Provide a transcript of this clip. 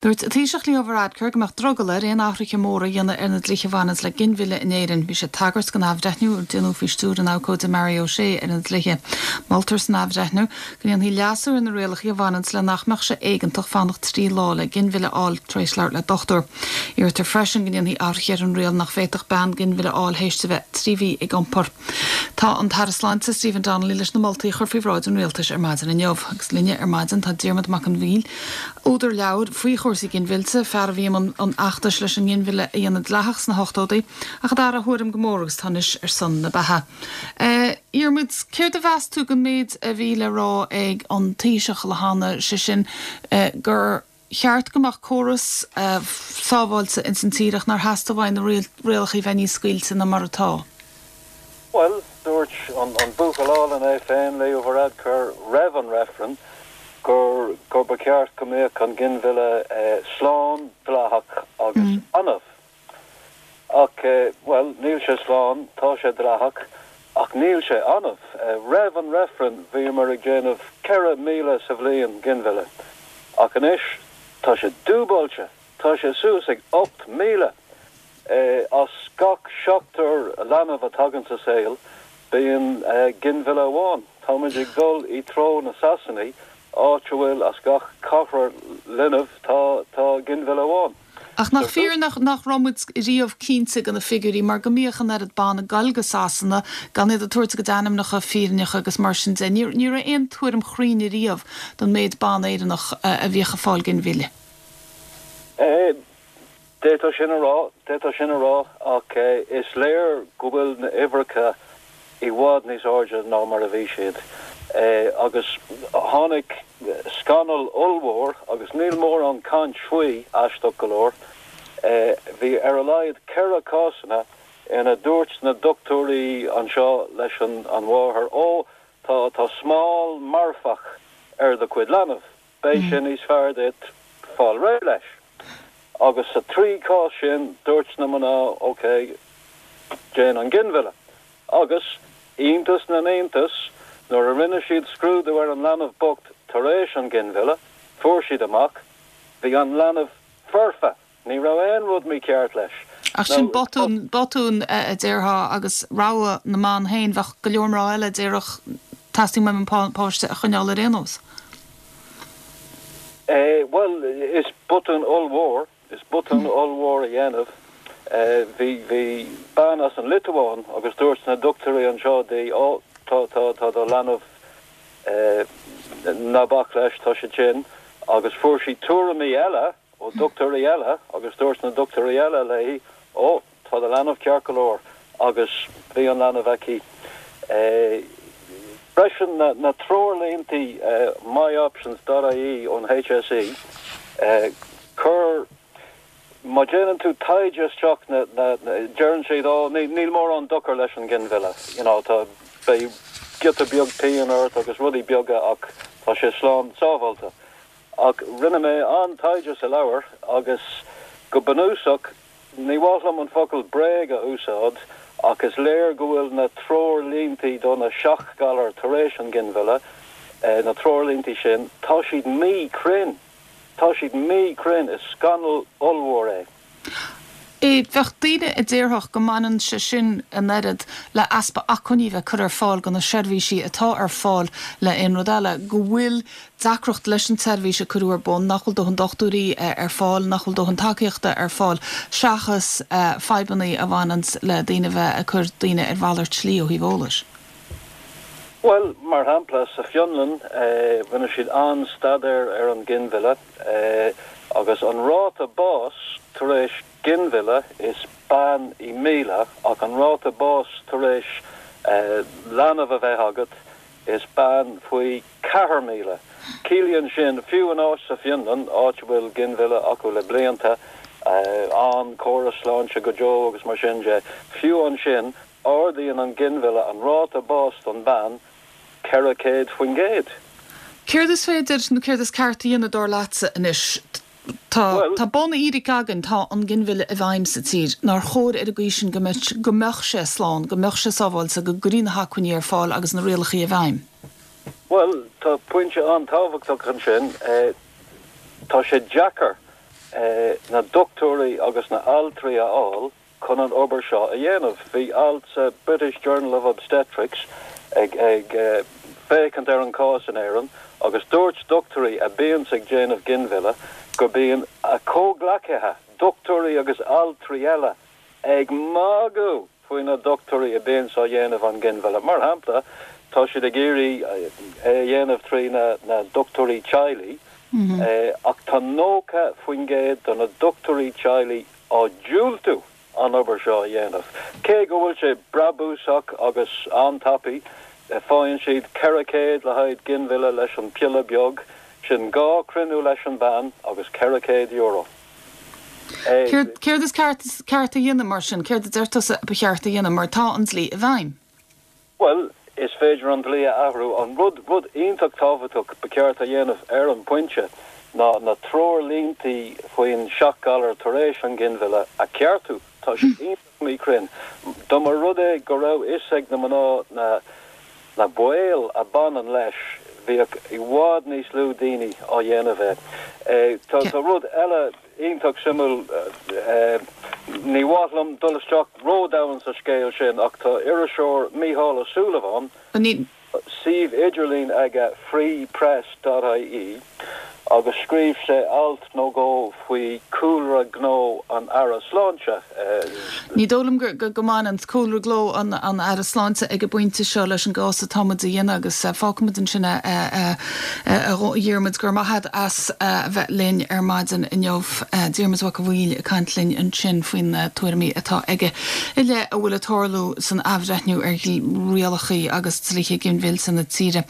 Dúirt an Taoiseach Leo Varadkar go mbeadh drogall air aon athruithe móra a dhéanamh ar na dlíthe a bhaineanns le ginmhilleadh in Éirinn. Bhí sé ag tagairt don athbhreithniú a déanadh faoi stiúir an abhcóide Mary O'Shea ar na dlíthe. Moltar san athbhreithniú go ndéanfaí leasú ar na rialacha a bhaineanns le nach mbeadh sé éigeantach fanacht 3 lá le ginmhilleadh a fháil tar éis labhairt le dochtúir. Iarrtar freisin go ndéanfaí athruithe ar an riail nach bhféadfadh bean ginmhilleadh a fháil théis di bheith 3 mhí ag iompar. Tá an tAire Sláinte Stephen Donnelly leis na moltaí a chur faoi bhráid an Rialtais ar maidin inniu. Agus linne ar maidin tá Diarmuid Mac an Mhíl, údar leabhair faoi chúrsaí ginmhillte, fear a bhí i mbun an fheachtais leis an nginmhilleadh a dhéanamh dleathach sna hochtóidí, ach a d'athraigh a thuairim go mór agus atá anois ar son na beatha. A Dhiarmuid, céard a mheas tú den méid a bhí le rá ag an Taoiseach le hAnna, sé sin gur cheart go mbeadh córas sábháilte ins an tír ach nár theastaigh uaidh na rialacha a bheith níos scaoilte ná mar atá? Bhuel, dúirt an buachaill álainn é féin, Leo Varadkar, roimh an reifreann gur gur ba cheart go mbeadh an ginmhilleadh slán, dleathach agus annamh. Ach, bhuel, níl sé slán, tá sé dleathach, ach níl sé annamh. Roimh an reifreann bhíomar ag déanamh 4,000 sa bhliain ginmhilleadh, ach anois tá sé dúbailte, tá sé suas ag 8,000! As gach seachtar leanbh a tagann sa saol, bíonn ginmhilleadh amháin. Táimid ag dul i dtreo na Sasanaí, áit a bhfuil as gach ceathrar linbh tá tá ginmhilleadh amháin. Ach nach fíor nach nach raibh muid riamh cinnte de na figiúirí mar go mbíodh an oiread ban ag goil go Sasana gan iad ag tabhairt a gcuid ainmneacha fírinneacha agus mar sin de. Ní ní raibh aon tuairim chruinn riamh don méid ban Éireannach a bhíodh ag fáil ginmhilleadh. D'fhéadfá sin a rá, d'fhéadfá sin a rá, ach is léir go bhfuil na huimhreacha i bhfad níos airde ná mar a bhí siad. Agus tháinig scannal ollmhór, agus níl mórán caint faoi, aisteach go leor. Bhí ar a laghad 4 cásanna ina dúirt na dochtúirí anseo leis an mháthair, Ó, tá, tá smál marfach ar do chuid leanbh. Beidh sé níos fearr duit fáil réidh leis. Agus sa trí chás sin, dúirt na mná, OK, déan an ginmhilleadh. Agus, iontas na n-iontas, nuair a rinne siad scrúdú ar an leanbh bocht tar éis an ghinmhilleadh, fuair siad amach, bhí an leanbh foirfe! Ní raibh aon rud mícheart leis. Ach sin botún, botún a déarfá agus rogha na mban féin. Bheadh go leor mná eile a déarfadh teastaíonn uaim an páiste a choinneáil ar aon nós. Bhuel, is botún ollmhór, is botún ollmhór a dhéanamh. Bhí, bhí bean as an Liotuáin agus dúirt na dochtúirí anseo di, ó, tá, tá, tá do leanbh, ná bac leis, tá sé tinn. Agus fuair sí tuairimí eile. ó dochtúirí eile agus dúirt na dochtúirí eile léi, Ó, tá do leanbh ceart go leor agus bhí an leanbh aici. Freisin na treoirlínte myoptions dot ie ón HSE, cuir, má déanann tú taighde isteach na, na, deireann siad, ó, níl mórán dochar leis an ghinmhilleadh, you know, tá, beidh giota beag pian ort agus rudaí beaga ach tá sé slán sábháilte. Ach rinne mé an-taighde sa leabhar agus go bunúsach, ní mhaith liom an focal bréag a úsáid ach is léir go bhfuil na treoirlínte do na seachghalair tar éis an ghinmhilleadh, na treoirlínte sin, tá siad míchruinn. Tá siad míchruinn. Is scannal ollmhór é. Bheadh daoine a déarfadh go mbaineann sé sin an oiread le easpa acmhainní bheith curtha ar fáil do na seirbhísí atá ar fáil le aon rud eile, go bhfuil deacracht leis an tseirbhís a cuireadh ar bun, nach bhfuil dóthain dochtúirí ar fáil, nach bhfuil dóthain tacaíochta ar fáil, seachas fadhbanna a bhaineanns le daoine a bheith ag cur daoine ar mhalairt slí ó thaobh eolais. Bhuel, mar shampla, sa Fionlainn, rinne siad an-staidéar ar an ghinmhilleadh agus an ráta bás tar éis ginmhilleadh is bean i 1,000 ach an ráta bás tar éis leanbh a bheith agat is bean faoi 4,000. Ciallaíonn sin, fiú in áit sa Fionlainn, áit a bhfuil ginmhilleadh acu le blianta, an-chóras sláinte go deo agus mar sin de, fiú ansin, Ardaíonn an ginmhilleadh an ráta báis don bhean 400%. Céard is féidir nó céard is ceart a dhéanamh dar leatsa anois? Tá tá bunfhíric againn, tá an ginmhilleadh i bhfeidhm sa tír. Nár chóir ar an gcaoi sin go mbeadh go mbeadh sé slán, go mbeadh sé sábháilte, go gcuirfí na hacmhainní ar fáil agus na rialacha i bhfeidhm? Bhuel, tá pointe an-tábhachtach ansin. Tá sé deacair. na dochtúirí agus na altraí a fháil chun an obair seo a dhéanamh. Bhí alt sa British Journal of Obstetrics ag féachaint ar an chás in Éirinn agus dúirt dochtúirí a bíonns ag déanamh ginmhilleadh go bíonn a comhghleacaithe, dochtúirí agus altraí eile, ag magadh faoi na dochtúirí a bíonns á dhéanamh an ginmhilleadh. Mar shampla, tá siad ag iarraidh é a dhéanamh trí na dochtúirí teaghlaigh ach tá 90% de na dochtúirí teaghlaigh á diúltú an obair seo a dhéanamh. Cé go bhfuil sé brabúsach agus an-tapaidh, faigheann siad 400 le haghaidh ginmhilleadh leis an piolla beag, sin dhá chruinniú leis an bhean agus €400. Céard is ceart a dhéanamh mar sin? Céard a deir tusa ba cheart a dhéanamh mar tá an dlí i bhfeidhm? Bhuel, is féidir an dlí a athrú. An rud, rud iontach tábhachtach ba cheart a dhéanamh ar an bpointe ná na treoirlínte faoin seachghalar tar éis an ghinmhilleadh a cheartú. Tá siad iontach míchruinn. Dá mba rud é go raibh fhios ag na mná na na baoil a baineann leis, bheadh i bhfad níos lú daoine á dhéanamh é. Tá rud eile iontach suimiúil, ní mhaith liom dul isteach ródhomhain sa scéal sin ach tá iriseoir Mícheál Ó Súilleabháin, suíomh idirlín aige freepress dot ie agus scríobh sé alt nó dhó faoi chúlra gnó an Aire Sláinte. Ní dóigh liom go mbaineann cúlra gnó an Aire Sláinte ag an bpointe seo leis an gcás atá muid a dhéanamh agus fágfaimid ansin é a Dhiarmuid. Go raibh maith agat as a bheith linn ar maidin inniu. Diarmuid Mac a' Bhaoill ag caint linn ansin faoi na tuairimí atá aige i leith a bhfuil ag tarlú san athbhreithniú ar rialacha agus dlíthe ginmhillte na tíre.